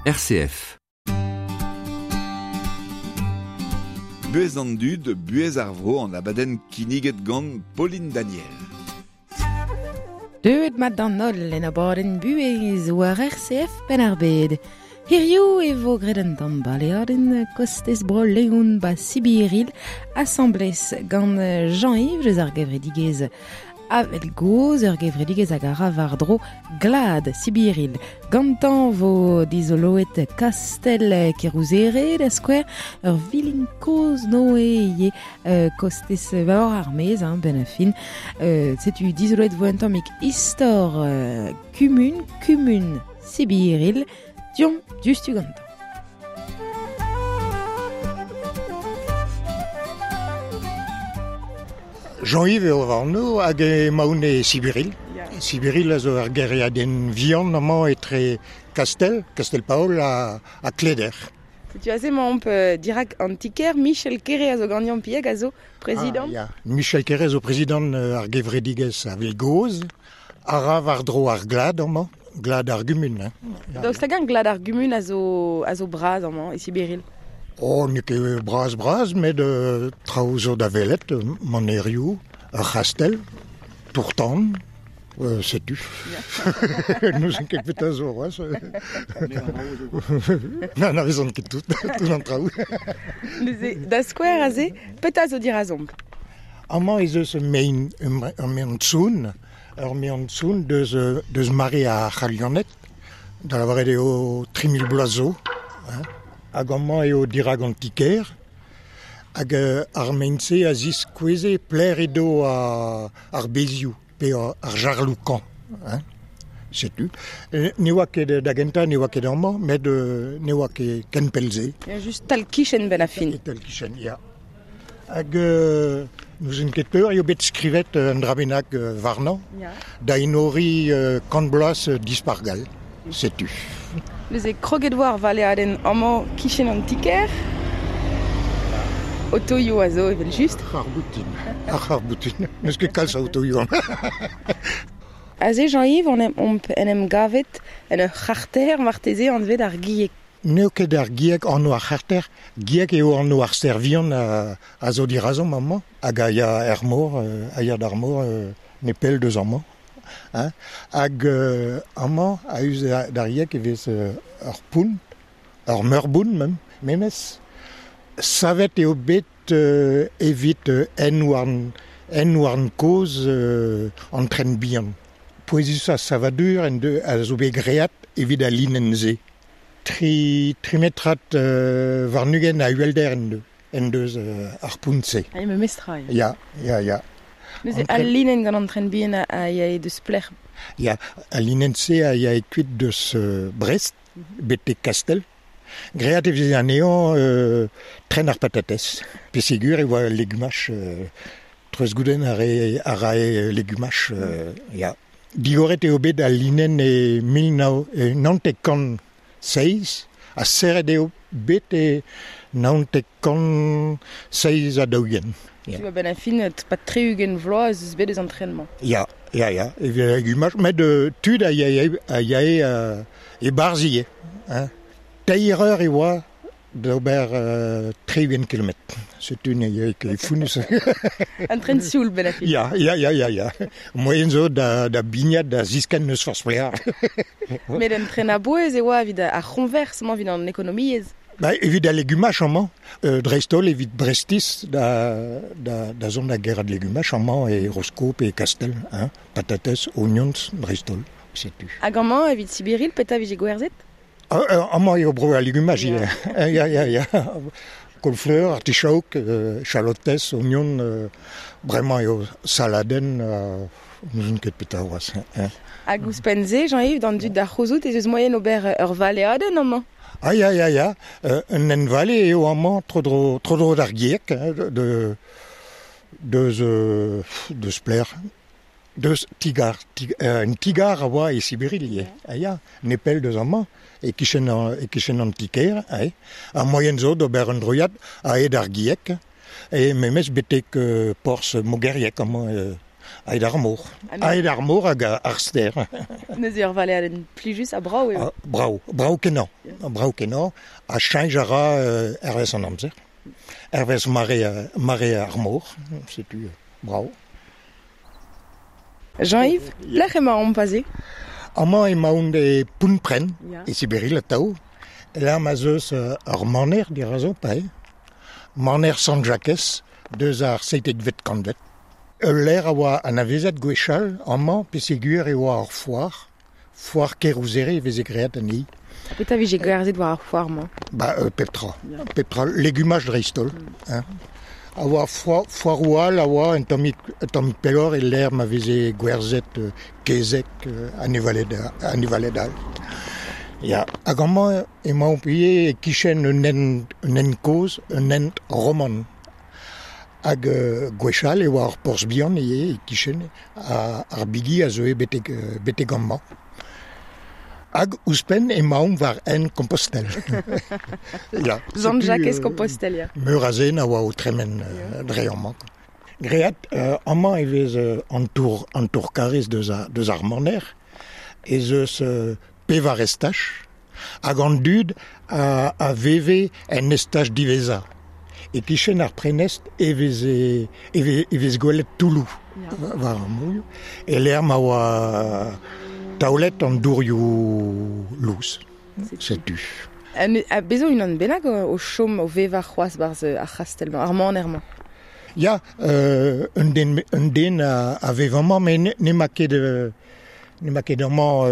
RCF. Buez an dud, buez ar vro an abadenn kinniget gant Pauline Daniel. Deuet mat d'an holl en abadenn buhez war RCF Penn-ar-Bed. Hiziv e vo graet un tamm baleadenn kostez bro Leon ba Sibiril asambles gant Jean-Yves eus ar gevredigezh Avel gozh, ur gevredigezh hag a ra war-dro glad Sibiril. Gantañ vo dizoloet kastell Kerouzere, da skouer, ur vilin kozh Noe ivez, kostez war ar maez, hein, benn ar fin. Setu dizoloet vo un tammig istor kumun, kumun Sibiril, Deomp diouzhtu gantañ. Jean-Yves eo va anv hag emaon e Sibiril. Sibiril a zo ur gêriadenn vihan amañ etre Kastell, Kastell-Paol ha, ha Kleder. Setu aze emaomp dirak an ti-kêr. Michel Kere a zo ganeomp piek a zo prezidant. Ah, ya. Michel Kere zo prezidant ar gevredigezh a Gozh a ra war-dro ar glad amañ. Glad ar gumun. Hein. Daoust hag-eñ glad ar gumun a zo, a zo bras amañ e Sibiril? Oh, n'eo ket bras-bras, met traoù zo da welet, manerioù, ur c'hastell, tour-tan, setu. N'ouzon ket petra zo c'hoazh. N'anavezan ket tout, tout an traoù. Neuze, da skouer aze, petra zo dirazomp? Amañ ez eus ur mein, ur maen-soun Ur mean-soun deus, deus mare ar C'halianed, da lavaret eo 3000 bloaz zo. Hein. Hag amañ eo dirak an ti-kêr. Hag ar mein-se a ziskoueze pelec'h edo ar bezioù pe ar jarloù-kañv. Hein. Setu. Ne oa ket da gentañ ne oa ket amañ, met ne oa ket ken pell-se. Ya, just tal-kichen benn ar fin. Tal-kichen, ya. Hag n'ouzon ket peur eo bet skrivet un dra bennak warnañ da enoriñ kant bloaz Dispac'h gall. Setu. Neuze kroget 'vo ar valeadenn amañ kichen an ti-kêr. Otoioù a zo evel-just. Ar c'harr-boutin. Ar c'harr-boutin. N'eus ket kalz a otoioù amañ. Aze Jean-Yves on omp en em gavet en ur c'harter marteze anvet ar Gieg. N'eo ket ar Gieg anv ar c'harter, Gieg eo anv ar stêr vihan a zo dirazomp amañ hag a ya er mor, a ya d'ar mor nepell deus amañ. Hein. Hag amañ, a-us d'ar Gieg e vez ur pont, ur meurbont mem, memes. Savet eo bet evit hent-houarn, hent-houarn kozh an tren bihan. Pouezusañ savadur en deus a zo bet graet evit al linenn-se. Tri, tri metrad warn-ugent a uhelder en deus, en deus ar pont-se. Ah, memestra, ya. Ya, ya, ya. Neuze, al linenn gant an tren bihan a yae deus plec'h? Ya, al linenn-se a yae kuit deus Brest betek Kastell. Graet e veze anezhañ tren ar patatez. Pesegur e oa legumaj, treuzgoudenn a rae, a rae legumaj, ya. Digoret eo bet al linenn e mil nav naontek kant seizh ha serret eo bet e naontek kant seizh ha daou-ugent. Ya. A-benn ar fin, pas tri-ugent vloaz ez eus bet eus an tren-mañ. Ya, ya, ya, evit legumaj, met tud a yae, a yae e-barzh ivez. Hein. Teir eur e oa d'ober 60 kilometr. Setu ne eo ket fonnus. Un tren sioul benn ar fin. Ya, ya, ya, ya, ya. Moaien zo da, da bignat, da ziskenn n'eus forzh pelec'h. Met un tren a-bouez e oa evit ar c'hoñvers amañ, evit an ekonomiezh. Ba, evit al legumaj amañ, dreist-holl evit Brestiz da, da, da zont da gerc'hat legumaj amañ e Rosko pe e Kastell, hein, patatez, oignons dreist-holl, setu. Hag amañ, evit Sibiril, petra vije gwerzhet? Amañ eo bro al legumaj ivez. Ya, ya, ya. Kaol-fleur, artichaok, chalotez, ognon, bremañ eo saladenn, n'ouzon ket petra c'hoazh. Hag ouzhpenn-se, Jean-Yves, d'an dud da c'houzout ez eus moaien ober ur valeadenn amañ? Ah ya, ya, ya. Un hent-vale eo amañ tro-dro, tro-dro d'ar Gieg, de, deus, deus Plec'h. Deus ti-gar, un ti-gar a oa e Sibiril ivez, ah ya, nepell deus amañ, e-kichen e-kichen an ti-kêr, ae. Ar moaien zo d'ober un droiad a-hed ar Gieg, e memes betek porzh Mogerieg amañ, a-hed ar mor. A-hed ar mor hag ar stêr. Neuze ur valeadenn plijus ha brav eo. Ah, brav, brav-kenañ. Brav kenañ, ha cheñch a ra hervez an amzer. Hervez mare ar mor, setu brav. Jean-Yves, pelec'h emaomp aze? Amañ emaon e Pontprenn, e Siberil atav. Lec'h ma'z eus ur maner dirazo, pae. Maner Sant-Jakez, deus ar 17vet kantved. Ul lec'h a oa anavezet gwechall amañ peogwir e oa ur foar. Foar Kerouzere e veze graet anezhi. Petra vije gwerzhet war ar foar-mañ? Ba, pep tra. Pep tra, legumaj dreist-holl. Hein. A oa foaroù all a oa un tammig, un tammig pelloc'h e lec'h ma veze gwerzhet kezeg, anevaled all. Ya, hag amañ emaomp ivez e-kichen un hent, un hent kozh, un hent roman. Hag gwechall e oa ur porzh bihan ivez e-kichen, ar bigi a zeue betek, betek amañ. Hag ouzhpenn emaomp war hent Kompostel. Ya, Sant-Jakez Kompostel, ya. Meur a zen a oa o tremen dre amañ. Graet, amañ e vez an tour, an tour karrez deus, deus ar maner, ez eus pevar estaj, hag an dud a veve en estaj diwezhañ. E-kichen ar prenestr e veze e vez gwelet toulloù war ar mourioù, e-lec'h ma oa taolet an dourioù lous. Setu. Ha bez' zo unan bennak o chom, o vevañ c'hoazh 'barzh ar c'hastell-mañ, ar maner-mañ? Ya, un den, un den a vev amañ, met n'emañ ket n'emañ ket amañ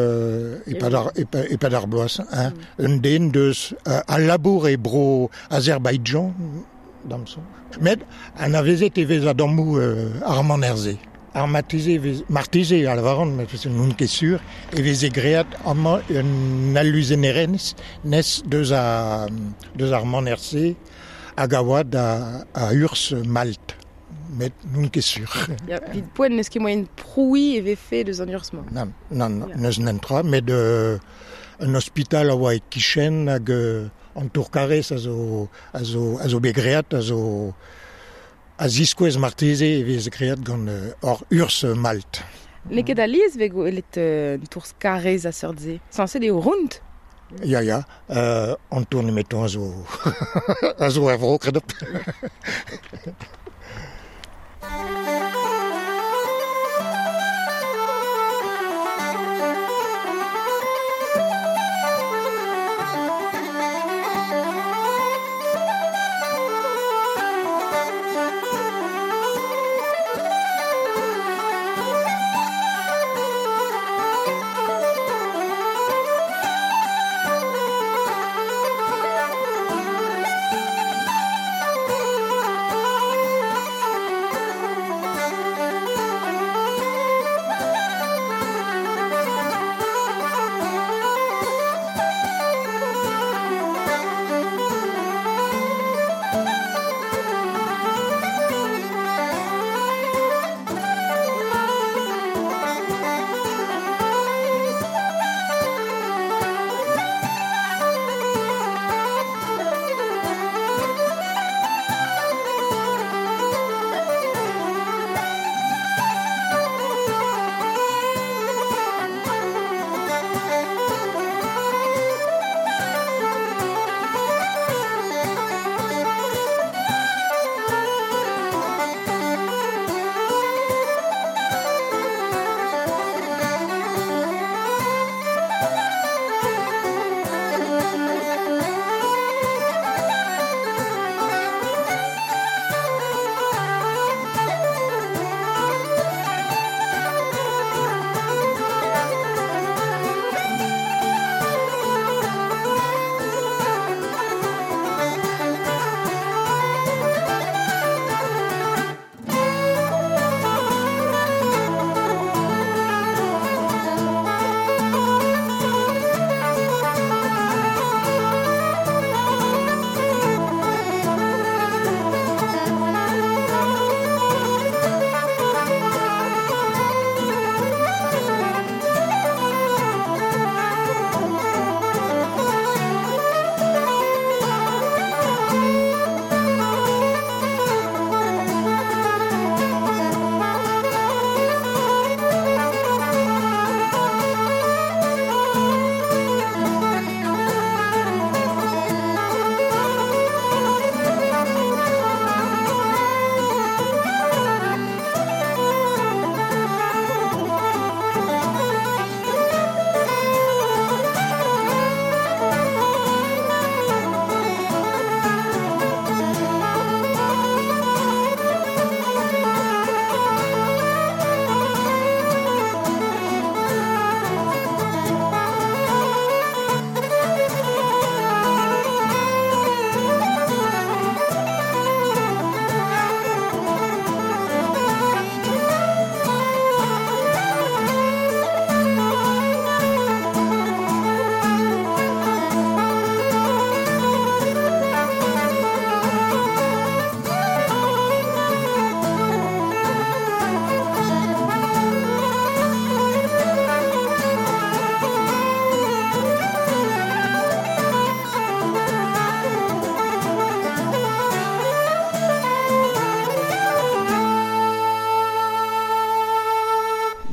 e-pad ar bloaz. Hein. Un den deus a labour e bro Azerbaidjan, d'am soñj. Met anavezet e vez a-dammoù ar maner-se. Ar marteze, marteze a lavaran, met n'on ket sur, e veze graet amañ un aluzennerezh nes deus ar maner-se hag a oa da a urzh Malt. Met n'on ket sur. Ya, evit poent n'eus ket moaien prouiñ e vefe deus an urzh-mañ. Nann, nann, n'eus netra, met un ospital a oa e-kichen hag an tour-karrez a zo, a zo, a zo bet graet, a zo a ziskouez marteze e vez graet gant hor urzh Malt. N'eo ket alies vez gwelet un tour-karrez a seurt-se. Sañset eo ront. Ya, ya, an tour nemetañ a zo a zo er vro, kredopl.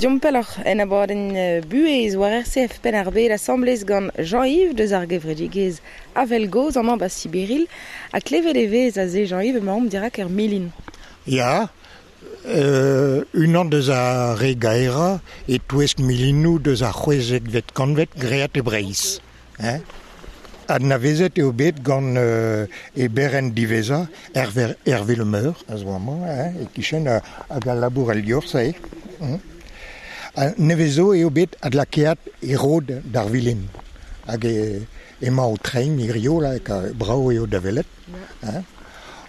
Deomp pelloc'h en abadenn Buhez war RCF Penn-ar-Bed asambles gant Jean-Yves deus ar gevredigezh Avel Gozh amañ ba Sibiril ha klevet e vez aze Jean-Yves emaomp dirak er milin. Ya, unan deus ar re gaerañ e-touesk milinoù deus ar c'hwezekvet kantved graet e Breizh. Hein? Anavezet eo bet gant e berenn diwezhañ, Hervé, Hervé Le Meur, a zo amañ, hein, e-kichen hag al labour el liorzh eo. Ha nevez zo eo bet adlakaet e rod d'ar vilin. Hag emañ o treiñ hirio, là, brav eo da welet. Hein.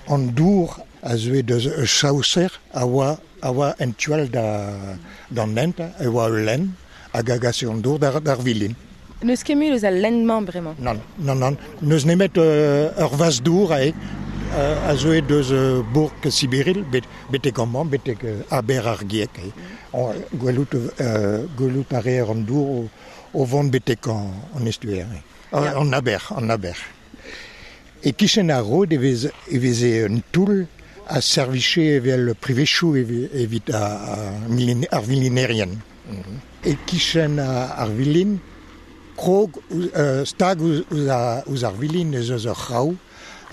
An dour a zeue deus ur chaoser a oa a oa en tu all d'an hent, e oa ul lenn hag a gase an dour d'ar vilin. N'eus ket mui eus al lenn-mañ bremañ? Nann, nann, nann. N'eus nemet ur vazh-dour eo a zeue deus bourk Sibiril betek amañ, betek aber ar Gieg. Gwelout, gwelout a reer an dour o vont betek an estuer, an aber, an aber. E-kichen ar rod e veze un toull a servije evel privezioù evit ar vilinerien. E-kichen ar vilin, krog stag ouzh ar vilin ez eus ur c'hraou,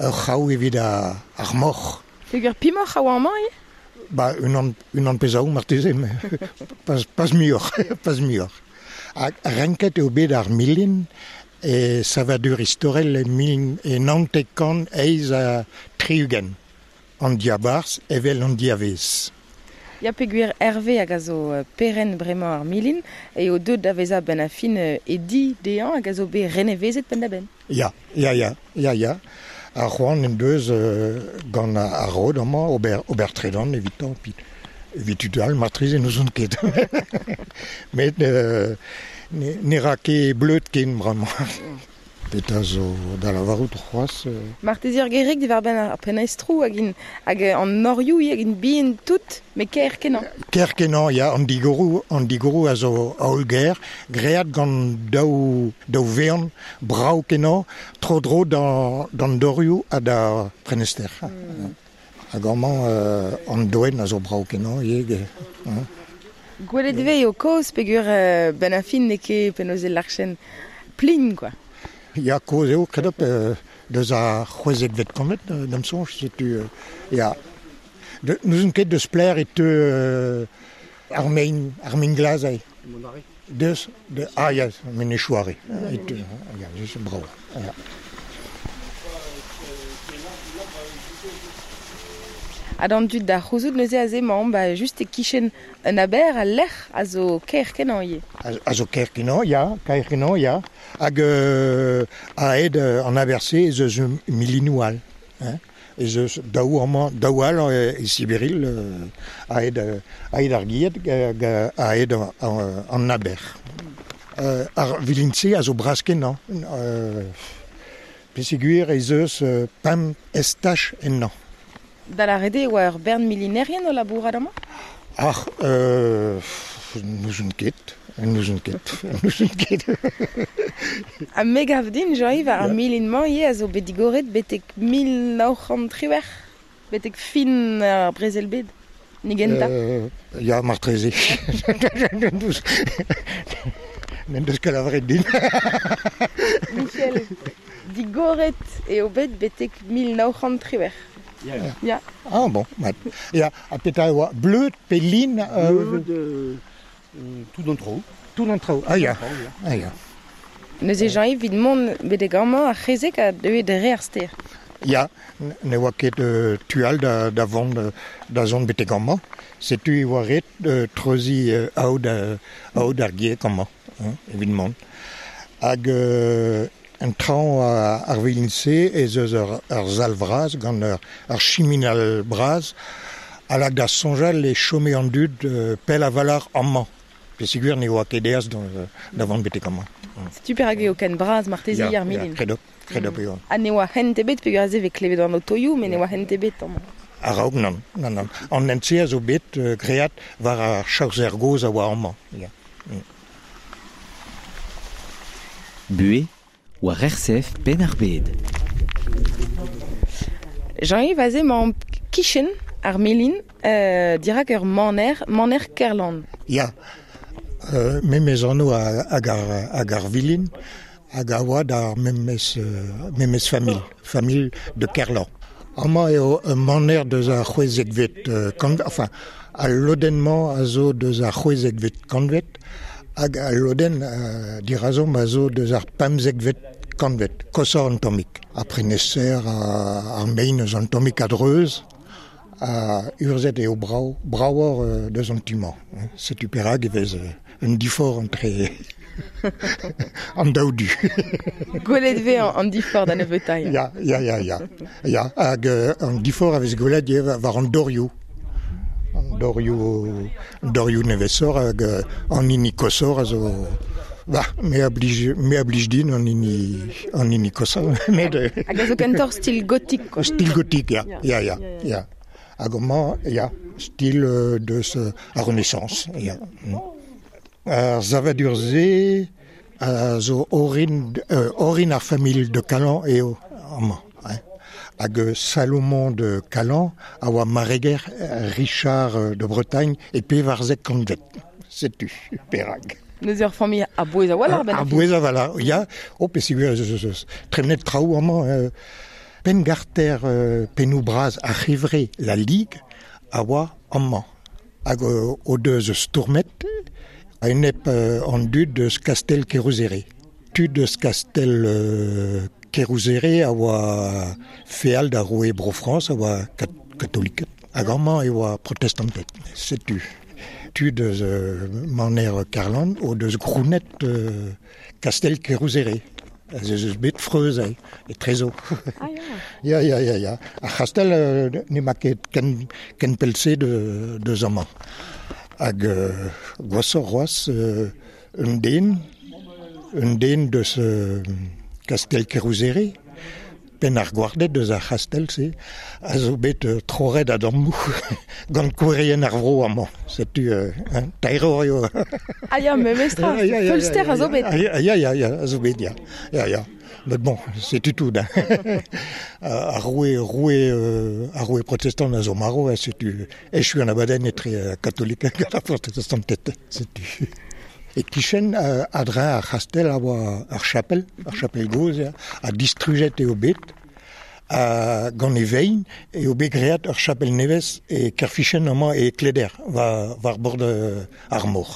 ur c'hraou evit ar moc'h. Peger pimoc'h a oa amañ ivez? Ba unan, unan pe zaou marteze, pas, pas muioc'h, pas muioc'h. Hag renket eo bet ar milin e savadur istorel e mil e 1968, an diabarzh evel an diavaez. Ya peogwir Hervé hag a zo perenn bremañ ar milin eo deuet da vezañ benn ar fin e di dezhañ hag a zo bet renevezet penn-da-benn. Ya, ya, ya, ya, ya. Ar c'hoant en deus gant ar rod amañ ober, ober tredan evitañ, evit tud all marteze n'ouzon ket. Met ne ra ket bleud ken bremañ. Petra zo da lavarout c'hoazh? Marteze ur gerig diwar-benn ar prenestroù hag int hag an norioù hag int bihan tout, met kaer-kenañ. Kaer-kenañ, ya, an digoroù, an digoroù a zo hollgaer, graet gant daou, daou vean brav-kenañ, tro-dro d'an dorioù ha d'ar prenester. Hag amañ an doenn a zo brav-kenañ ivez. Gwelet e vez eo kozh peogwir benn ar fin n'eo ket penaos e lârchen plin quoi. Ya, kozh eo, kredop, deus ar c'hwezekvet kantved, d'am soñj, setu ya. N'ouzon ket deus pelec'h e teu ar mein, ar mein glas aze. Deus, de, ah ya, Menez-Chouare, e teu, ya, just brav, ya. Ha d'an dud da c'houzout neuze aze emaomp ba just e-kichen un aber al lec'h a zo kaer-kenañ ivez. A zo kaer-kenañ, ya, kaer-kenañ, ya. Hag a-hed an aber-se ez eus milinoù all. Hein. Ez eus daou amañ, daou all e Sibiril a-hed a-hed ar Gied hag a-hed an aber. Ar vilin-se a zo bras-kenañ. Peogwir ez eus pemp estaj ennañ. Da lâret eo e oa ur bern milinerien o labourat amañ? Ac'h, n'ouzon ket, n'ouzon ket, n'ouzon ket. Ha me gav din, Jean-Yves, ar milin-mañ ivez a zo bet digoret betek 1918, betek fin ar brezel-bed, ni gentañ. Ya, marteze. N'en deus ket lavaret din. Michel, digoret eo bet betek 1918. Ya. Ya. Ah bon, mat. Ya, ha petra e oa bleud pe lin Bleud, tout an traoù. Tout an traoù, ah ya. Ah ya. Neuze Jean-Yves, evit mont betek amañ, ar c'hezeg a deue dre ar stêr. Ya, ne oa ket tu all da, da vont da zont betek amañ. Setu e oa ret treuziñ aod, aod ar Gieg amañ, hein, evit mont. Hag En traoñ ar vilin-se ez eus ur sal vras gant ur chiminal bras a lak da soñjal e chome an dud pell a-walc'h amañ peogwir ne oa ket aes da vont betek amañ. Setu perak eo ken bras marteze ar milin. Ya, kredop, kredop eo. Ha ne oa hent ebet peogwir aze e vez klevet an otoioù met ne oa hent ebet amañ. A-raok nann, nann, nann. An hent-se a zo bet graet war ar chaoser gozh a oa amañ. Ya. Buhez war RCF Penn-ar-Bed. Jean-Yves, aze emaomp kichen ar milin, dirak ur maner, maner Kerlann. Ya, Memez anv hag ar vilin, hag a oa d'ar memez familh, familh de Kerlan. Amañ eo un maner deus ar c'hwezekvet kantved, enfin, al lodenn-mañ a zo deus ar c'hwezekvet kantved, hag al lodenn dirazomp a zo deus ar pemzekvet kantved, koshoc'h an tammig. Ar preneser, ar mein eus an tammig a-dreuz, a urzhet eo brav, bravoc'h deus an tu-mañ. Setu perak e vez un diforc'h entre an daou du. Gwelet vez an diforc'h da nebeutañ. Ya, ya, ya, ya. Ya, hag an diforc'h a vez gwelet ivez war an dorioù. An dorioù, an dorioù nevesoc'h hag an hini koshoc'h a zo... Bah, me a blij, me a blij din an hini, an hini koshañ. Met, Hag a zo kentoc'h stil gotik, quoi. Stil gotik, ya, ya, ya, ya. Hag amañ, ya, stil deus ar Renaissance, ya. Ar savadur-se a zo orin, orin ar familh de Calan eo amañ. Hag Salomon de Calan a oa mareger Richard de Bretagne e pevarzek kantved. Setu perak. Neuze ur familh a-bouez a-walc'h benn ar fin. A-bouez a-walc'h, ya. Oh, peogwir ez eus tremenet traoù amañ. Penngarter pennoù bras ar c'hevre La Ligue a oa amañ. Hag o deus stourmet a-enep an dud eus kastell Kerouzere. Tud eus kastell Kerouzere a oa feal da roue Bro-Frañs, a oa katoliked. Hag amañ e oa protestanted. Setu. Tud eus maner Kerlann o deus grounet kastell Kerouzere. Ez eus bet freuz etrezo. Ah ya. Ya, ya, ya, ya. Ar c'hastell n'emañ ket ken, ken pell-se deus amañ. Hag gwashoc'h c'hoazh un den, un den deus kastell Kerouzere, penn ar gwarded deus ar c'hastell-se, a zo bet troret a-dammoù gant kouerien ar vro amañ. Setu taeroc'h eo. Ah ya, memestra, feulster a zo bet. Ya, ya, ya, a zo bet, ya. Ya, ya. Met bon, setu tout. Ar roue, roue, ar roue protestant a zo marv, setu echu an abadenn etre katolik hag ar protestanted. Setu. E kichen a-dreñv ar c'hastell a oa ar chapel, ar chapel gozh, ya, ha distrujet eo bet. Ha gant e vein eo bet graet ur chapel nevez e Kerfichen amañ e Kleder, war bord ar mor.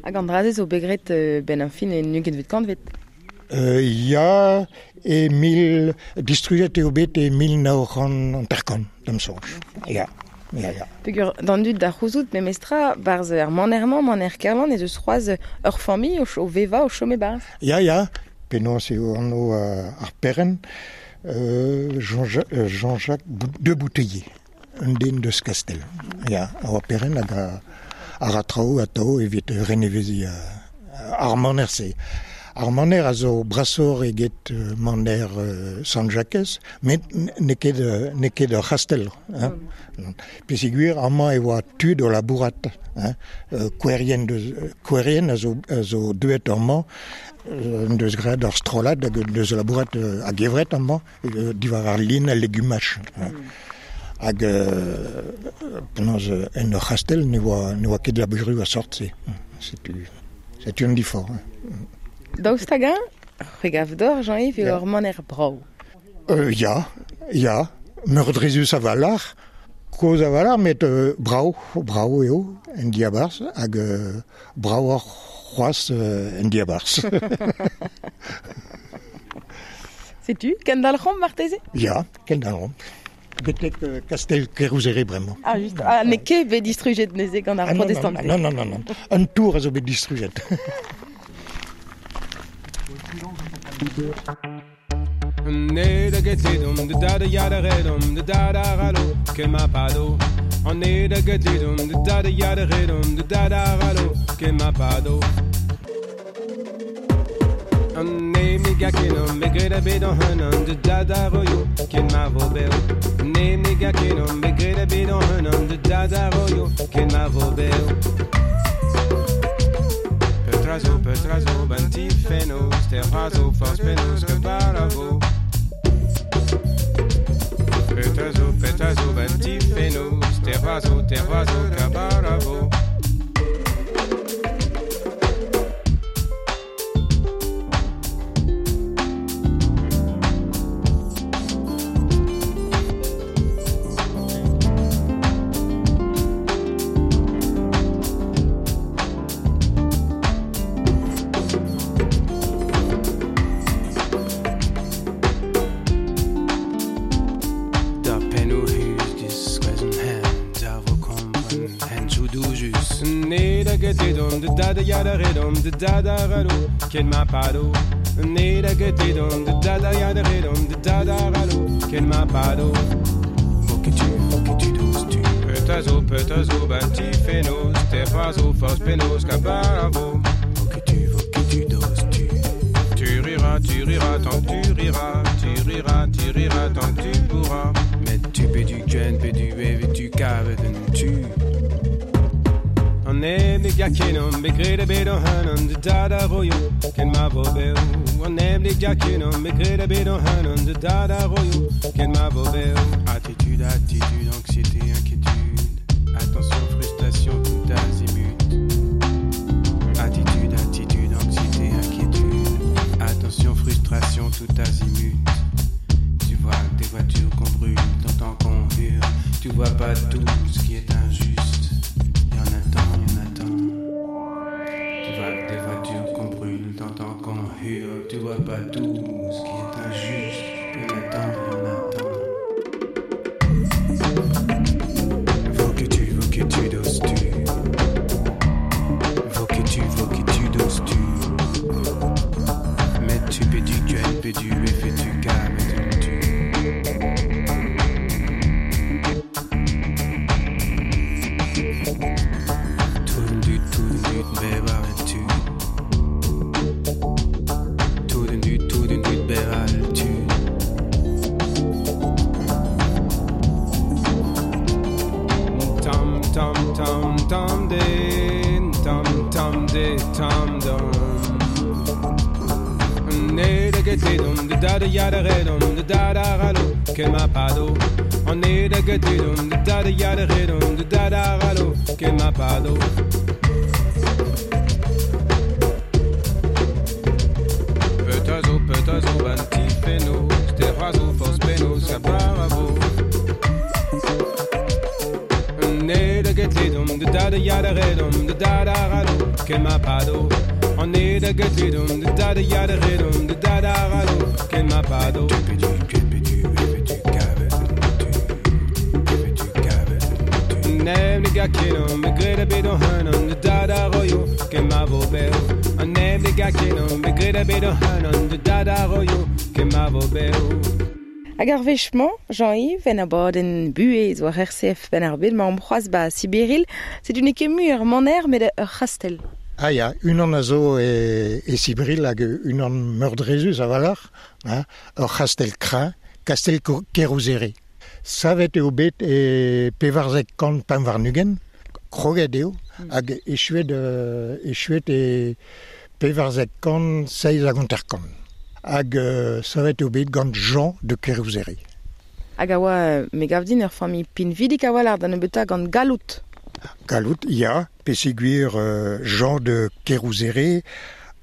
Hag an dra-se zo bet graet benn ar fin en ugentvet kantved? Ya, e mil, distrujet eo bet e 1950, da'm soñj. Ya, ya, ya. Peogwir d'an dud da c'houzout memestra, 'barzh ar maner-mañ, maner Kerlann, ez eus c'hoazh ur familh o vevañ, o chom e-barzh. Ya, ya, penaos eo anv ar perc'henn, Jean-Jacques de Bouteiller, un den deus Kastell. Ya, a oa perc'henn hag a ra traoù atav evit reneveziñ ar maner-se. Ar maner a zo brasoc'h eget maner Sant-Jakez, met n'eo ket, n'eo ket ur c'hastell. Hein. Peogwir amañ e oa tud o labourat. Hein. Kouerien, deus, kouerien a zo deuet amañ, en deus graet ur strollad hag en deus labourat a-gevret amañ, diwar ar lin ha legumaj. Hein. Hag penaos en ur c'hastell ne oa ket labourioù a sort-se. Setu an diforc'h. Daoust hag-eñ, c'hwi gav deoc'h, Jean-Yves, eo ur maner brav? Ya, ya, meurdrezus a-walc'h, kozh a-walc'h, met brav, brav eo en diabarzh hag bravoc'h c'hoazh en diabarzh. Setu, kendalc'homp marteze? Ya, kendalc'homp. Betek kastell Kerouzere bremañ. Ah, just. Ah, n'eo ket bet distrujet neuze gant ar protestanted. Non, non, non, non. Un tour a zo bet distrujet. gedom de da da ya da redom de da da ralo ken ma pado. Ne da gedom de da da ya da redom de da da ralo ken ma pado. Voketu dose tu. Petazo petazo banti fenos terrazo fos penos cabaravo. Voketu dose tu. Tu riras tant que tu riras, tu riras, tu riras tant que tu pourras. Mais tu peux du ken, peux du ev, tu cave tu. An eblig jakinom, begrede bedo hanon, de dada royo, ken ma vo beo. An eblig jakinom, begrede bedo hanon, de dada royo, ken ma vo beo. Attitude, attitude, anxiété, inquiétude. Attention, frustration, tout azimut. Attitude, attitude, anxiété, inquiétude. Attention, frustration, tout azimut. Tu vois des voitures qu'on brûle, t'entends qu'on hurle. Tu vois pas tout ce qui est injuste. Y en a tant, y en a tant. Tu vois des voitures qu'on brûle, t'entends qu'on hurle. Tu vois pas tout ce qui est injuste. Y en a tant, y en a tant. Voketu doses tu. Voketu doses tu. Mais tu peux du gun, peux du F et tu K, mais tu. Tout du, beba tu. Tout du, beba tu. Tam tam tam tam de, tam tam de, tam dum. Ne da getedum de da da ya da redum de da da ralo ken ma pado. On ne da getedum de da da ya da redum de da da ralo ken ma pado. Petazo petazo banti feno, terrazo fos peno saparavo. Ne da getedum de da da ya da redum de da da ralo ken ma pado. On est da getedum de da da ya da redum de da da ralo ken ma pado. Neblig akenom, begreda bedo hanon, de da da royo, ken ma vo beo. Neblig akenom, begreda bedo hanon, de da da royo, ken ma vo beo. Hag ar wech-mañ, Jean-Yves, en abadenn buhez war RCF ben ar bed, ma am c'hoazh ba Sibiril, setu n'eo ket mui ur maner met ur c'hastell. Ah ya, unan a zo e Sibiril hag unan meurdrezus a valar, hein, ur c'hastell kreñv, kastell Kerouzere. Savet eo bet e pevarzek kant pemp warn-ugent, kroget eo, hag echuet e pevarzek kant seiz hag hanter-kant. Hag savet eo bet gant Jean de Kerouzere. Hag a oa, me gav din ur familh pinvidik a walc'h da nebeutañ gant Galout. Galout, ya, peseguir Jean de Kerouzere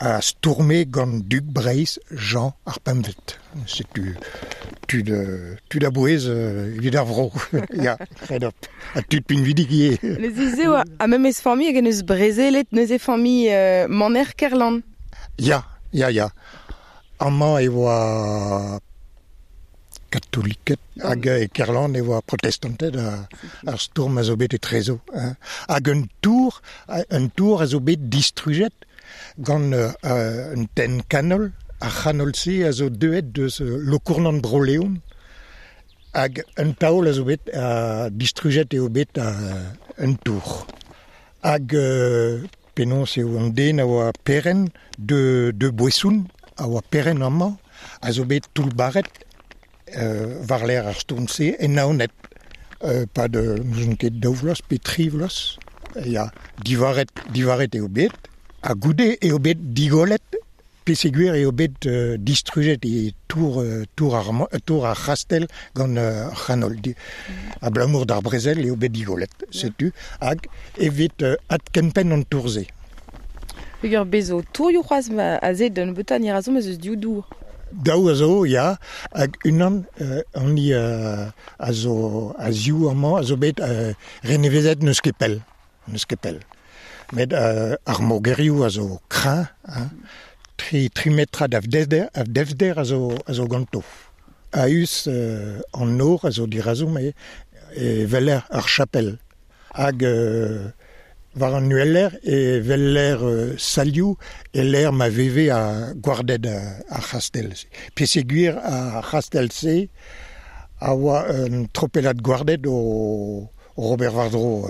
a stourme gant Dug Breizh Jean ar Pemvet. Setu tud a bouez evit ar vro. Ya, red op. Ha tud pinvidik ivez. Neuze ez eo a memes familh hag en eus brezelet neuze familh Maner Kerlan. Ya, ya, ya. Amañ e oa katoliket hag e Kerlan e oa protestanted ar stourm a zo bet etrezo. Hein. Hag un tour a zo bet distrujet gant un tenn kanol. Ar c'hanol-se a zo deuet deus Lokournan Bro-Leon hag un taol a zo bet distrujet eo bet un tour. Hag penaos eo an den a oa peren de Boesoun, a oa peren amañ, a zo bet toullbaret war l'air ar stourm-se en Naoned. Pa de n'ouzon ket daou vloaz pe tri vloaz. Ya, divaret eo bet. Ha goude eo bet digolet, peseguir eo bet distrujet e tour ar c'hastell gant ar c'hanol. Abalamour d'ar brezel eo bet digolet, setu, hag evit adkempenn an tour-se. Peogwir bezo tourioù c'hoazh aze da nebeutañ ni razo ma eus div dour. Daou a zo, ya, hag unan an a zo a ziv amañ a zo bet renevezet n'eus ket pell. N'eus ket pell. Met ar mogerioù a zo kreñv, hein, tri metrad a devder a zo ganto. A-us an nor a zo dirazo, me e weler ar chapel. Hag War an ueller e veller salioù e l'er ma veve a gwarded ar c'hastell. Pe seguir ar c'hastell-se a oa un tropelad gwarded o Robert Vardro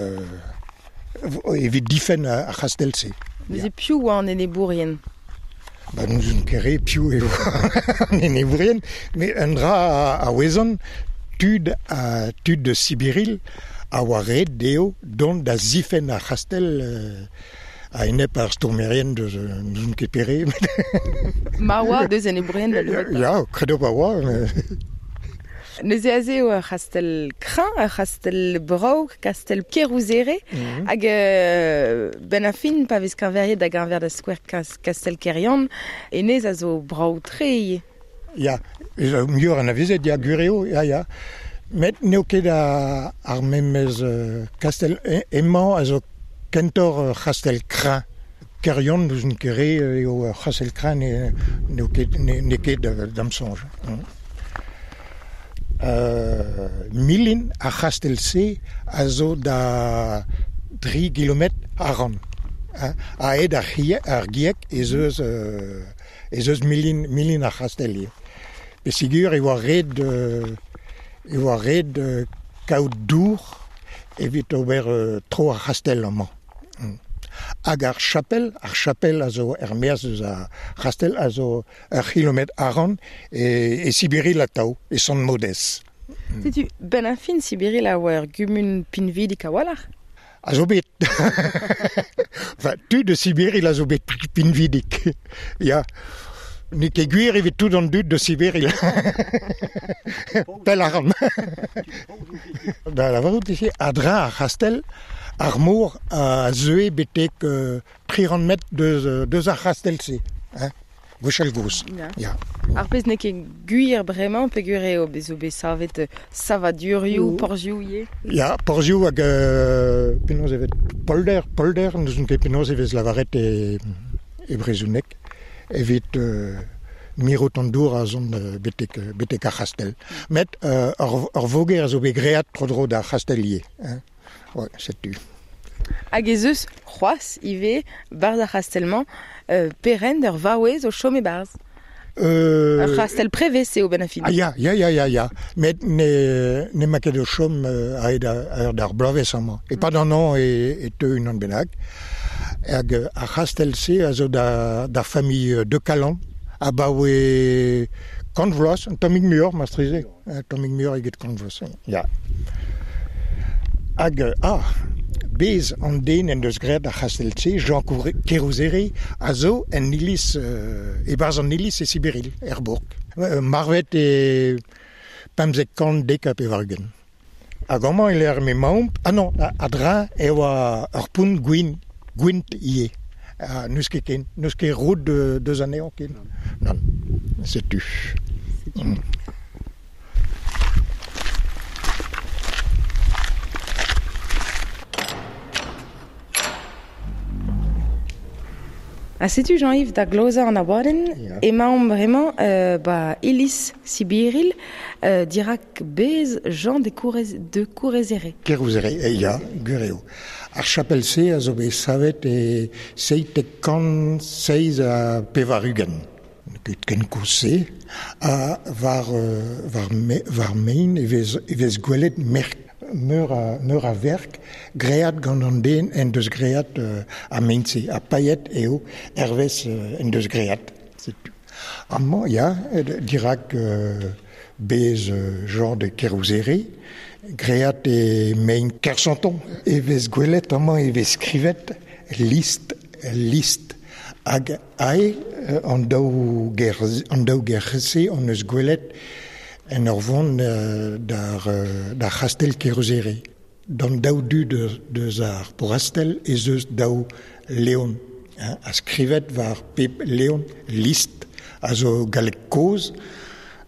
evit difen ar c'hastell-se. Neuze piv oa an enebourien? Ba nous on ket re piv eo an enebourien, met un dra a ouezan, tud tud de Sibiril a oa ret dezho dont da zifen ar c'hastell a enep ar stourmerien deus n'ouzon ket pere. Ma oa deus enebourien da nebeutañ. Ya, kredo pa oa. Neuze aze eo ur c'hastell kreñv, ur c'hastell brav, kastell Kerouzere, hag ben ar fin pa vez keñveriet da geñver da skouer kastell Keryann, hennezh a zo brav-tre ivez. Ya, muioc'h anavezet, ya, gwir eo, ya, ya. Met n'eo ket ar memes kastell emañ a zo kentoc'h ur c'hastell kreñv. Keryann n'ouzon ket re eo ur c'hastell kreñv n'eo ket n'eo ket da'm soñj. Milin ar c'hastell-se a zo da 3 kilometr a-ran. A-hed ar gieg ez eus milin ar c'hastell ivez. Peogwir e oa ret kaout dour evit ober tro ar c'hastell amañ. Hag ar chapel a zo er-maez eus ar c'hastell a zo ur c'hilometr a-ran e Sibiril atav, e Sant-Maodez. Setu, benn ar fin Sibiril a oa ur gumun pinvidik a-walc'h? A zo bet. Enfin, tud de Sibiril a zo bet pinvidik. Ya. N'eo ket gwir evit tout an dud de Sibiril. Pell a ran. Da lavarout eo a-dreñv ar c'hastell, ar mor a zeue betek 300 metr deus ar c'hastell-se, hein, gwechall gozh. Ya. Ar pezh n'eo ket gwir bremañ peogwir eo zo bet savet savadurioù, porzhioù ivez. Ya, porzhioù hag penaos e vez polder, n'ouzon ket penaos e vez lavaret e brezhoneg evit mirout an dour a zont betek ar c'hastell. Met ur voger a zo bet graet tro-dro d'ar c'hastell ivez. Hein. Ouais, setu. Hag ez eus c'hoazh ivez barzh ar c'hastell-mañ perent ur vaouez o chom e-barzh. Ur c'hastell prevez eo benn ar fin. Ah ya. Met n'emañ ket o chom a-hed ar bloavezh amañ. E-pad an hañv e teu unan bennak. Hag ar c'hastell-se a zo d'ar familh de Calan abaoe kant vloaz, un tammig muioc'h marteze, un tammig muioc'h eget kant vloaz. Ya. Hag bez an den en deus graet ar c'hastell-se, Jean Kerouzere, a zo en iliz, e-barzh an iliz e Sibiril, er bourg. Marvet e 1590. Hag amañ e lec'h m'emaomp, ah non, a-dreñv e oa ur pont gwint ivez. N'eus ket ken, n'eus ket roud deus anezhañ ken. Nann, setu. Ha setu Jean-Yves da glozañ an abadenn, emaomp bremañ ba iliz Sibiril dirak bez Jean de Kerouzere. Kerouzere, ya, gwir eo. Ar chapel-se a zo bet savet e 787. Ket ken koulz-se. Ha war mein e vez gwelet merk meur a verk graet gant an den en deus graet ar mein-se. Ha paeet eo hervez en deus graet. Setu. Amañ, ya, dirak bez Jean de Kerouzere, graet e mein Kersanton. E vez gwelet amañ e vez skrivet list. Hag ae an daou ger-se hon eus gwelet en ur vont d'ar c'hastell Kerouzere. D'an daou du deus ar porrastell ez eus daou leon. Hein, a skrivet war pep leon list a zo galleg kozh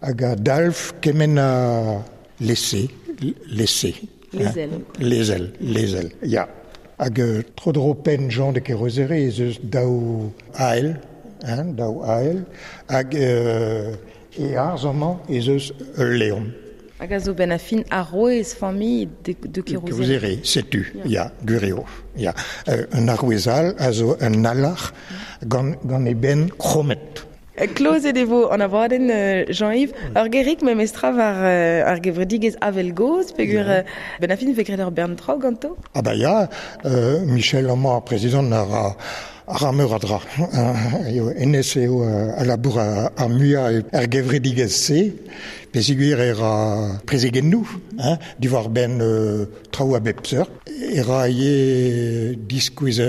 hag a dalv kement a laisser. Lezel, ya. Hag tro-dro penn Jean de Kerouzere ez eus daou ael, hein, daou ael, hag e arz amañ ez eus ul leon. Hag a zo ben a fin arouez familh de, de Kerouzere. Setu, ya, gwir eo. Ya. Un arouez all a zo un alarc'h gant, gant e benn krommet. Klozet e vo an abadenn, Jean-Yves. Ur gerig memestra war ar gevredigezh Avel Gozh, peogwir ben a fin vez graet ur bern traoù ganto. Ah bah ya, Michel amañ, ar prezidant, a ra, a ra meur a dra. Eo, hennezh eo a labour ar muiañ er gevredigezh-se, peogwir e ra prezegennoù hein, diwar-benn traoù a bep seurt. E ra ivez diskouez,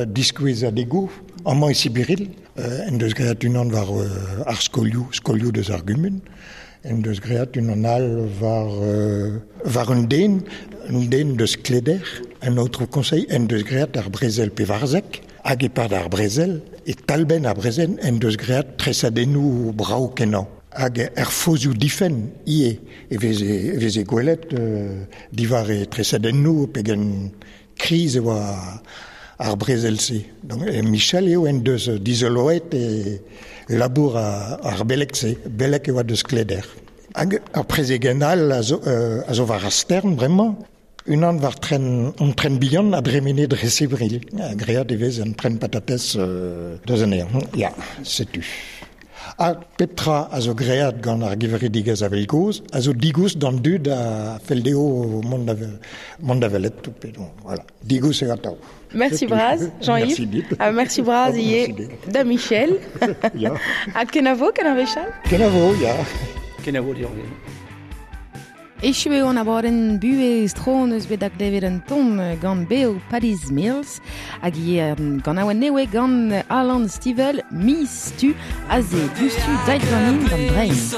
diskouezadegoù amañ e Sibiril. En deus graet unan war ar skolioù, skolioù deus ar gumun. En deus graet unan all war, war un den, un den deus Kleder, un aotrou conseil, en deus graet ar brezel pevarzek. Hag e-pad ar brezel, e talbenn ar brezel, en deus graet tresadennoù brav-kenañ. Hag er fozioù difenn ivez e veze, e veze gwelet diwar e tresadennoù pegen Kriz e oa ar brezel-se. Donc, Michel eo en deus dizoloet e labour ar beleg-se. Beleg e oa deus Kleder. Hag ur prezegenn all a zo, a zo war ar stern bremañ. Unan war tren, an tren bihan a dremene dre Sevril. Graet e vez an tren patatez deus anezhañ. Ya, setu. Ha pep tra a zo graet gant ar gevredigezh Avel Gozh a zo digoust d'an dud a fell dezho mont da, mont da welet. Voilà. Digoust eo atav. Merci bras, Jean-Yves. Merci dit. Ha merci bras ivez da Michel. Ya. Ha kenavo, kenavo Charles. Kenavo, ya. Kenavo deoc'h. Echu eo an abadenn Buhez tro hon eus bet da glevet un ton gant Beo Paddy's Mills hag ivez ganaouenn nevez gant Alan Stivell Miz Tu aze diouzhtu dait ganin gant Breizh.